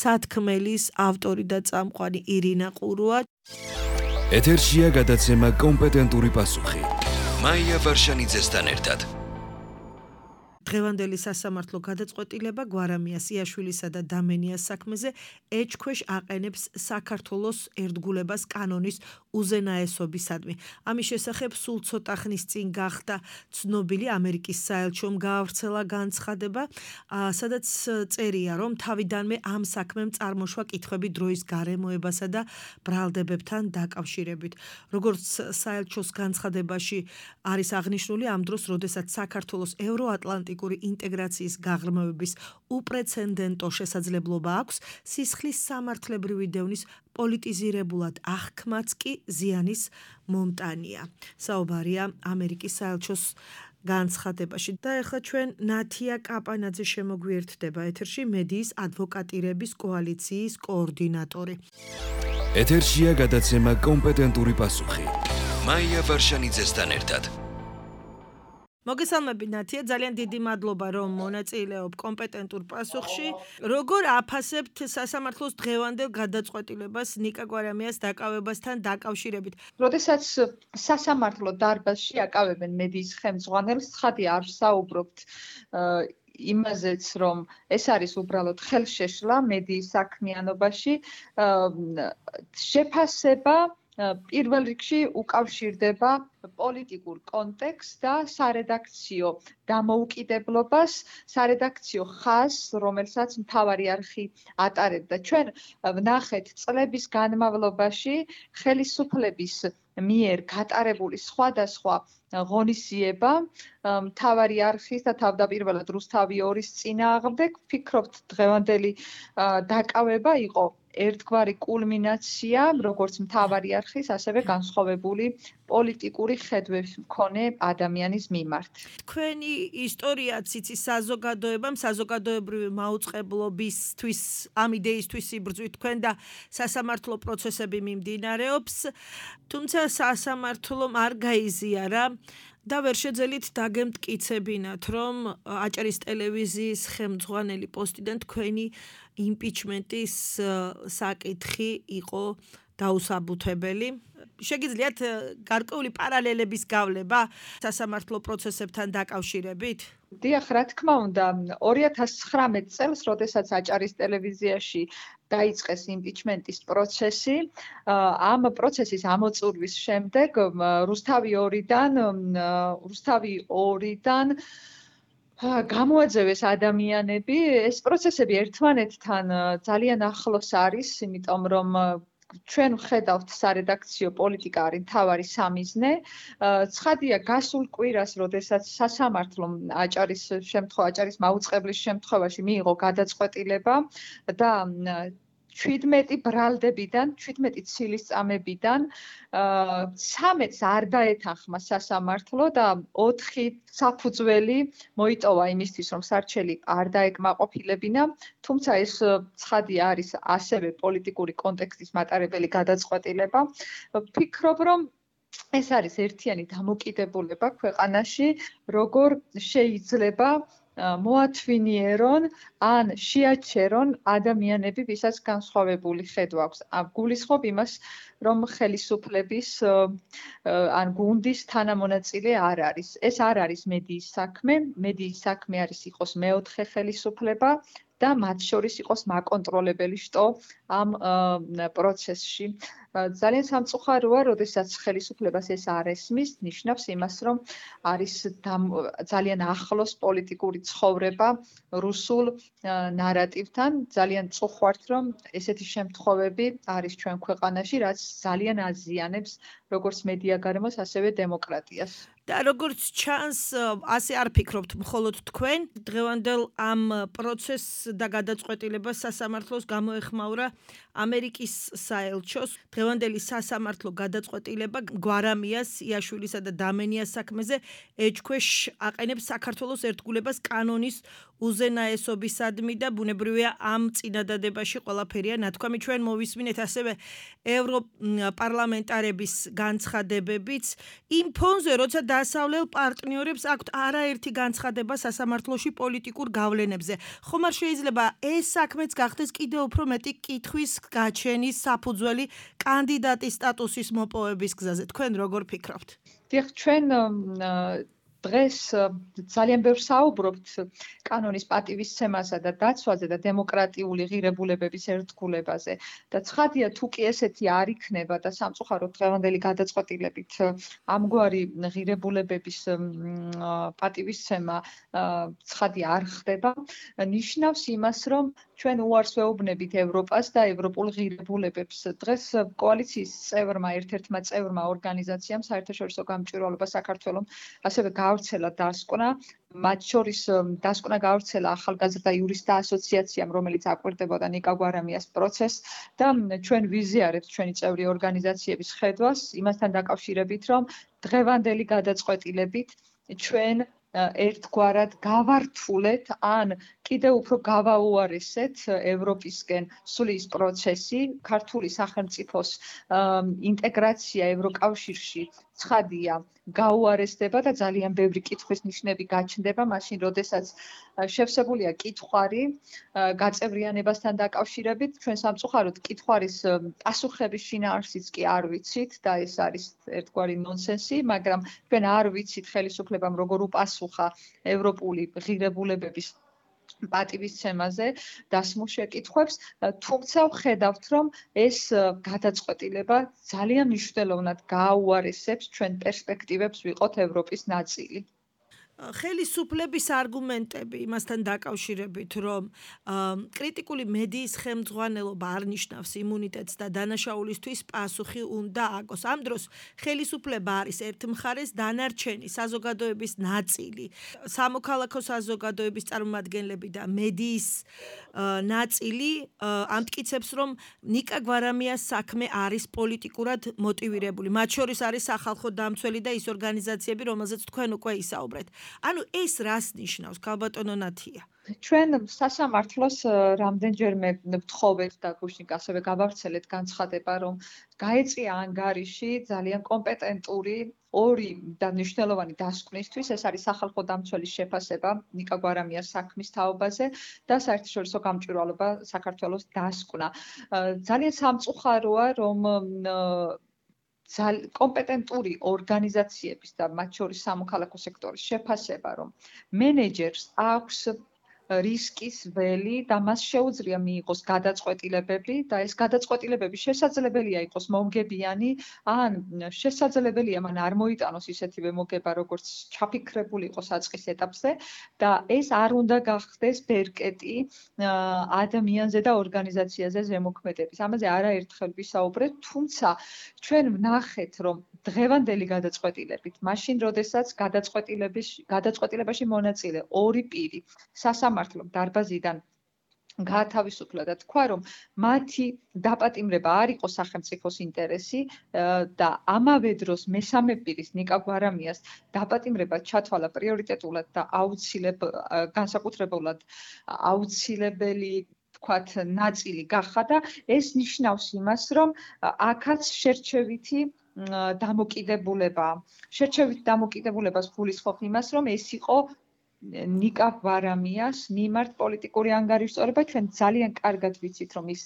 სათქმელის ავტორი და წამყვანი ირინა ყურუა. ეთერშია გადაცემა კომპეტენტური პასუხი. მაია ვარშანიძესთან ერთად. დღევანდელი სასამართლო გადაწყვეტილება გვარამიას, იაშვილისა და დამენიას საქმეზე ეჭქვეშ აყენებს საქართველოს ერთგულებას კანონის უზენაესობისადმი. ამის შესახებ სულ ცოტა ხნის წინ გახდა ცნობილი ამერიკის საელჩომ გაავრცელა განცხადება, სადაც წერია, რომ თავიდანვე ამ საქმემ წარმოშვა კითხვები დროის გარემოებასა და ბრალდებებთან დაკავშირებით. როგორც საელჩოს განცხადებაში არის აღნიშნული, ამ დროს, როდესაც საქართველოს ევროატლანტიკ ინტეგრაციის გაღრმავების უპრეცედენტო შესაძლებლობა აქვს, სისხლის სამართლებრივი დევნის პოლიტიზირებულად აღქმაც კი ზიანის მომტანია. საუბარია ამერიკის საელჩოს განცხადებაში. და ეხლა ჩვენ ნათია კაპანაძე შემოგვიერთდება ეთერში, მედიის ადვოკატირების კოალიციის კოორდინატორი. ეთერშია გადაცემა კომპეტენტური პასუხი. მაია ვარშანიძესთან ერთად. მოგესალმები ნათია, ძალიან დიდი მადლობა, რომ მონაწილეობ კომპეტენტურ პასუხში. როგორ აფასებთ სასამართლოს დღევანდელ გადაწყვეტილებას ნიკა გვარამიას დაკავებასთან დაკავშირებით? როდესაც სასამართლო დარბაზში აკავებენ მედიის ხელმძღვანელს, ცხადია არ საუბრობთ იმაზეც, რომ ეს არის უბრალოდ ხელშეშლა მედიის საქმიანობაში, შეფასება პირველ რიგში უკავშირდება პოლიტიკურ კონტექსტს და სარედაქციო დამოუკიდებლობას, სარედაქციო ხაზს, რომელსაც მთავარი არხი ატარებდა. ჩვენ ვნახეთ წლების განმავლობაში ხელისუფლების მიერ გატარებული სხვადასხვა ღონისძიება მთავარი არხის და თავდაპირველად რუსთავი ორის წინააღმდეგ. ვფიქრობთ, დღევანდელი დაკავება იყო ერთგვარი კულმინაცია, როგორც მთავარი არხის, ასევე განსხვავებული პოლიტიკური ხედვების მქონე ადამიანის მიმართ. თქვენი ისტორიაც იცის საზოგადოებამ, საზოგადოებრივი მაუწყებლობისთვის, ამ იდეისთვის იბრძვით თქვენ და სასამართლო პროცესები მიმდინარეობს, თუმცა სასამართლომ არ გაიზიარა და ვერ შეძელით დაგემტკიცებინათ, რომ აჭარის ტელევიზიის ხელმძღვანელი პოსტიდან თქვენი იმპიჩმენტის საკითხი იყო დაუსაბუთებელი. შეგიძლიათ გარკვეული პარალელების გავლება სასამართლო პროცესებთან დაკავშირებით? დიახ, რა თქმა უნდა, ორი ათას ცხრამეტ წელს, როდესაც აჭარის ტელევიზიაში დაიწყეს იმპიჩმენტის პროცესი, ამ პროცესის ამოწურვის შემდეგ რუსთავი ორიდან რუსთავი ორიდან გამოაძევეს ადამიანები, ეს პროცესები ერთმანეთთან ძალიან ახლოს არის, იმიტომ რომ ჩვენ ვხედავთ სარედაქციო პოლიტიკა არის მთავარი სამიზნე. ცხადია, გასულ კვირას, როდესაც სასამართლომ აჭარის შემთხვევა, აჭარის მაუწყებლის შემთხვევაში მიიღო გადაწყვეტილება და ჩვიდმეტი ბრალდებიდან, ჩვიდმეტი ცილისწამებიდან ცამეტს არ დაეთანხმა სასამართლო და ოთხი საფუძველი მოიტოვა იმისთვის, რომ სარჩელი არ დაეკმაყოფილებინა, თუმცა ეს ცხადია არის ასევე პოლიტიკური კონტექსტის მატარებელი გადაწყვეტილება. ვფიქრობ, რომ ეს არის ერთიანი დამოკიდებულება ქვეყანაში, როგორ შეიძლება მოათვინიერონ ან შეაჩერონ ადამიანები, ვისაც განსხვავებული ხედვა აქვს. გულისხმობ იმას, რომ ხელისუფლების ან გუნდის თანამონაწილე არ არის. ეს არ არის მედიის საქმე, მედიის საქმე არის იყოს მეოთხე ხელისუფლება და მათ შორის იყოს მაკონტროლებელი შტო ამ პროცესში. ძალიან სამწუხაროა, როდესაც ხელისუფლებას ეს არ ესმის, ნიშნავს იმას, რომ არის ძალიან ახლოს პოლიტიკური ცხოვრება რუსულ ნარატივთან. ძალიან წუხوارთ, რომ ესეთი შემთხვევები არის ჩვენ ქვეყანაში, რაც ძალიან აზიანებს როგორც მედია გარემოს, ასევე დემოკრატიას. და როგორც ჩანს, ასე არ ფიქრობთ მხოლოდ თქვენ, დღევანდელ ამ პროცესს და გადაწყვეტილებას სასამართლოს გამოეხმაურა ამერიკის საელჩოს. დღევანდელი სასამართლო გადაწყვეტილება გვარამიას, იაშვილისა და დამენიას საქმეზე ეჭქვეშ აყენებს საქართველოს ერთგულებას კანონის უზენაესობისადმი და ბუნებრივია ამ წინადადებაში ყველაფერია ნათქვამი. ჩვენ მოვისმინეთ ასევე ევროპარლამენტარების განცხადებებიც იმ ფონზე, როცა დასავლელ პარტნიორებს აქვთ არაერთი განცხადება სასამართლოში პოლიტიკურ გავლენებზე. ხომ არ შეიძლება ეს საქმეც გახდეს კიდევ უფრო მეტი კითხვის გაჩენის საფუძველი კანდიდატის სტატუსის მოპოვების გზაზე. თქვენ როგორ ფიქრობთ? დიახ, ჩვენ დღეს ძალიან ბევრ საუბრობთ კანონის პატივისცემასა და დაცვაზე და დემოკრატიული ღირებულებების ერთგულებაზე. და ცხადია, თუ კი ესეთი არ იქნება და სამწუხაროდ დღევანდელი გადაწყვეტილებით ამგვარი ღირებულებების პატივისცემა ცხადია არ ხდება, ნიშნავს იმას, რომ ჩვენ უარს ვეუბნებით ევროპას და ევროპულ ღირებულებებს. დღეს კოალიციის წევრმა, ერთ-ერთმა წევრმა ორგანიზაციამ საერთაშორისო გამჭვირვალობა საქართველოს ასევე გაავრცელა დასკვნა, მათ შორის დასკვნა გაავრცელა ახალგაზრდა იურისტთა ასოციაციამ, რომელიც აკვირდებოდა ნიკა გვარამიას პროცესს და ჩვენ ვიზიარებთ ჩვენი წევრი ორგანიზაციების ხედვას იმასთან დაკავშირებით, რომ დღევანდელი გადაწყვეტილებით ჩვენ ერთგვარად გავართულეთ ან კიდევ უფრო გავაუარესეთ ევროპისკენ სulis პროცესი, ქართული სახელმწიფოს ინტეგრაცია ევროკავშირში ცხადია გაუარესდება და ძალიან ბევრი კითხვის ნიშნები გაჩნდება მაშინ, როდესაც შევსებულია კითხვარი გაწევრიანებასთან დაკავშირებით, ჩვენ სამწუხაროდ კითხვარის პასუხების შინაარსიც კი არ ვიცით და ეს არის ერთგვარი ნონსენსი, მაგრამ ჩვენ არ ვიცით ხელისუფლებამ როგორ უპასუხა ევროპული ღირებულებების პატივისცემაზე დასმულ შეკითხვებს, თუმცა ვხედავთ, რომ ეს გადაწყვეტილება ძალიან მნიშვნელოვნად გააუარესებს ჩვენ პერსპექტივებს ვიყოთ ევროპის ნაწილი. ხელისუფლების არგუმენტები იმასთან დაკავშირებით, რომ კრიტიკული მედიის ხელმძღვანელობა არ ნიშნავს იმუნიტეტს და დანაშაულისთვის პასუხი უნდა აგოს. ამ დროს ხელისუფლება არის ერთ მხარეს დანარჩენი საზოგადოების ნაწილი, სამოქალაქო საზოგადოების წარმომადგენლები და მედიის ნაწილი ამტკიცებს, რომ ნიკა გვარამიას საქმე არის პოლიტიკურად მოტივირებული. მათ შორის არის სახალხო დამცველი და ის ორგანიზაციები, რომელზეც თქვენ უკვე ისაუბრეთ. ანუ ეს რას ნიშნავს, ქალბატონო ნათია? ჩვენ სასამართლოს რამდენჯერმე ვთხოვეთ და გუშინ ასევე გავავრცელეთ განცხადება, რომ გაეწია ანგარიში ძალიან კომპეტენტური ორი და მნიშვნელოვანი დასკვნისთვის, ეს არის სახალხო დამცველის შეფასება ნიკა გვარამიას საქმის თაობაზე და საერთაშორისო გამჭვირვალობა საქართველოს დასკვნა. ძალიან სამწუხაროა, რომ კომპეტენტური ორგანიზაციების და მათ შორის სამოქალაქო სექტორის შეფასება, რომ მენეჯერს აქვს რისკის ველი და მას შეუძლია მიიღოს გადაწყვეტილებები და ეს გადაწყვეტილებები შესაძლებელია იყოს მომგებიანი ან შესაძლებელია მან არ მოიტანოს ისეთივე მოგება, როგორც ჩაფიქრებული იყო საწყის ეტაპზე და ეს არ უნდა გახდეს ბერკეტი ადამიანზე და ორგანიზაციაზე ზემოქმედების. ამაზე არაერთხელ ვისაუბრეთ, თუმცა ჩვენ ვნახეთ, რომ დღევანდელი გადაწყვეტილებით, მაშინ როდესაც გადაწყვეტილების გადაწყვეტილებაში მონაწილე ორი პირი სასამართლო დარბაზიდან გაათავისუფლა და თქვა, რომ მათი დაპატიმრება არ იყო სახელმწიფოს ინტერესი და ამავე დროს მესამე პირის ნიკა გვარამიას დაპატიმრება ჩათვალა პრიორიტეტულად და აუცილებლად განსაკუთრებულად აუცილებელი თქვათ ნაწილი გახდა და ეს ნიშნავს იმას, რომ აქაც შერჩევითი დამოკიდებულება. შერჩევით დამოკიდებულებას გულისხმობ იმას, რომ ეს იყო ნიკა გვარამიას მიმართ პოლიტიკური ანგარიშწორება. ჩვენ ძალიან კარგად ვიცით, რომ ის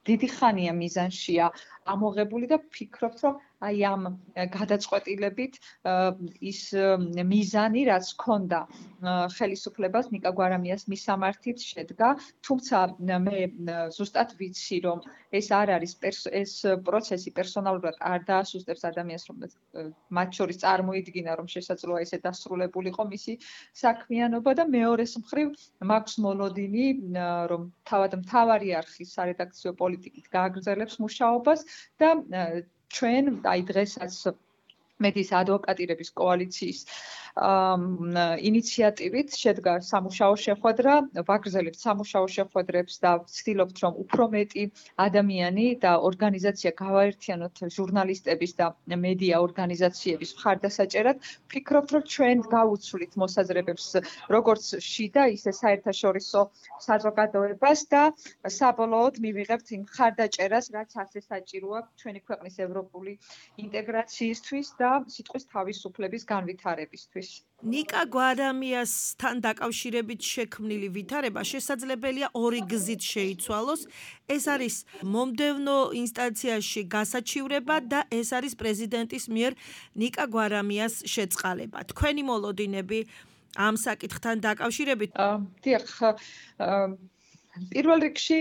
დიდი ხანია მიზანშია ამოღებული და ფიქრობთ, რომ აი ამ გადაწყვეტილებით ის მიზანი, რაც ჰქონდა ხელისუფლებას ნიკა გვარამიას მისამართით შედგა, თუმცა მე ზუსტად ვიცი, რომ ეს არ არის ეს პროცესი პერსონალურად არ დაასუსტებს ადამიანს, რომ მათ შორის წარმოიდგინა, რომ შესაძლოა ესე დასრულებულიყო მისი საქმიანობა და მეორეს მხრივ მაქვს მოლოდინი, რომ თავად მთავარი არხის სარედაქციო პოლიტიკით გააგრძელებს მუშაობას და ჩვენ აი დღესაც მედიის ადვოკატირების კოალიციის ინიციატივით შედგა სამუშაო შეხვედრა, ვაგრძელებთ სამუშაო შეხვედრებს და ვცდილობთ, რომ უფრო მეტი ადამიანი და ორგანიზაცია გავაერთიანოთ ჟურნალისტების და მედია ორგანიზაციების მხარდასაჭერად. ვფიქრობთ, რომ ჩვენ გავუცვლით მოსაზრებებს როგორც შიდა, ისე საერთაშორისო საზოგადოებას და საბოლოოდ მივიღებთ იმ მხარდაჭერას, რაც ასე საჭიროა ჩვენი ქვეყნის ევროპული ინტეგრაციისთვის და სიტყვის თავისუფლების განვითარებისთვის. ნიკა გვარამიასთან დაკავშირებით შექმნილი ვითარება შესაძლებელია ორი გზით შეიცვალოს. ეს არის მომდევნო ინსტანციაში გასაჩივრება და ეს არის პრეზიდენტის მიერ ნიკა გვარამიას შეწყალება. თქვენი მოლოდინები ამ საკითხთან დაკავშირებით? დიახ, პირველ რიგში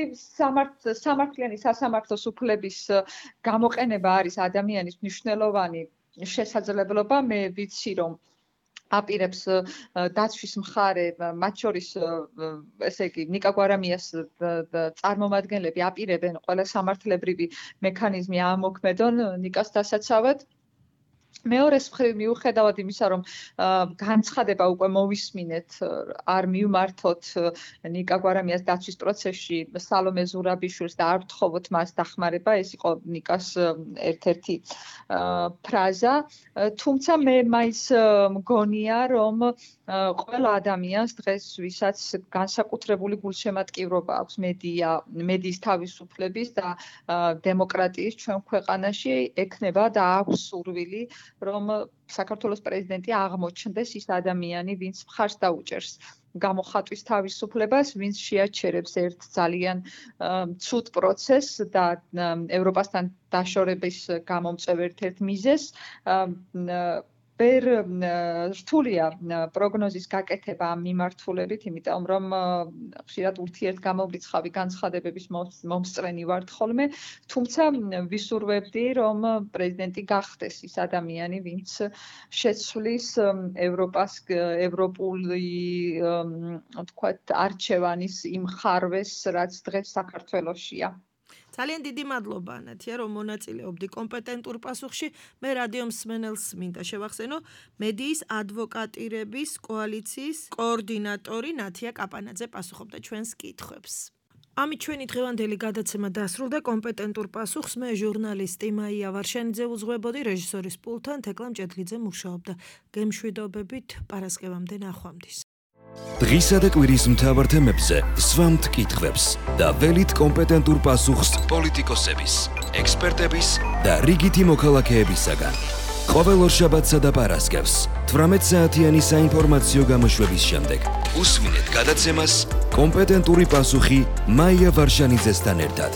სამართლიანი სასამართლოს უფლების გამოყენება არის ადამიანის მნიშვნელოვანი შესაძლებლობა. მე ვიცი, რომ აპირებს დაცვის მხარე, მათ შორის ესე იგი ნიკა გვარამიას წარმომადგენლები აპირებენ ყველა სამართლებრივი მექანიზმი ამოქმედონ ნიკას დასაცავად. მეორეს მხრივ მიუხედავად იმისა, რომ განცხადება უკვე მოვისმინეთ, არ მივმართოთ ნიკა გვარამიას დაცვის პროცესში სალომე ზურაბიშვილს და არ ვთხოვოთ მას დახმარება, ეს იყო ნიკას ერთ-ერთი ფრაზა. თუმცა მე მაინც მგონია, რომ ყველა ადამიანს დღეს ვისაც განსაკუთრებული გულშემატკივრობა აქვს მედია, მედიის თავისუფლების და დემოკრატიის ჩვენ ქვეყანაში ექნება და აქვს სურვილი, რომ საქართველოს პრეზიდენტი აღმოჩნდეს ის ადამიანი, ვინც მხარს დაუჭერს გამოხატვის თავისუფლებას, ვინც შეაჩერებს ერთ ძალიან ცუდ პროცესს და ევროპასთან დაშორების გამომწვევ ერთ-ერთ მიზეზს. ვერ რთულია პროგნოზის გაკეთება ამ მიმართულებით, იმიტომ რომ ხშირად ურთიერთგამომრიცხავი განცხადებების მომსწრენი ვართ ხოლმე, თუმცა ვისურვებდი, რომ პრეზიდენტი გახდეს ის ადამიანი, ვინც შეცვლის ევროპას ევროპული თქვათ არჩევანის იმ ხარვეს, რაც დღეს საქართველოშია. ძალიან დიდი მადლობა ანათია, რომ მონაწილეობდი კომპეტენტურ პასუხში. მე რადიო მსმენელს მინდა შევახსენო მედიის ადვოკატირების კოალიციის კოორდინატორი ნათია კაპანაძე პასუხობდა ჩვენს კითხვებს. ამით ჩვენი დღევანდელი გადაცემა დასრულდა. კომპეტენტურ პასუხს მე ჟურნალისტი მაია ვარშენიძე უძღვებოდი, რეჟისორის პულტთან თეკლა მჭედლიძე მუშაობდა. გემშვიდობებით, პარასკევამდე ნახვამდის. დღისა და კვირის მთავარ თემებზე სვამთ კითხვებს და ველით კომპეტენტურ პასუხს პოლიტიკოსების, ექსპერტების და რიგითი მოქალაქეებისაგან. ყოველ ორშაბათსა და პარასკევს თვრამეტ საათიანი საინფორმაციო გამოშვების შემდეგ უსმინეთ გადაცემას კომპეტენტური პასუხი მაია ვარშანიძესთან ერთად.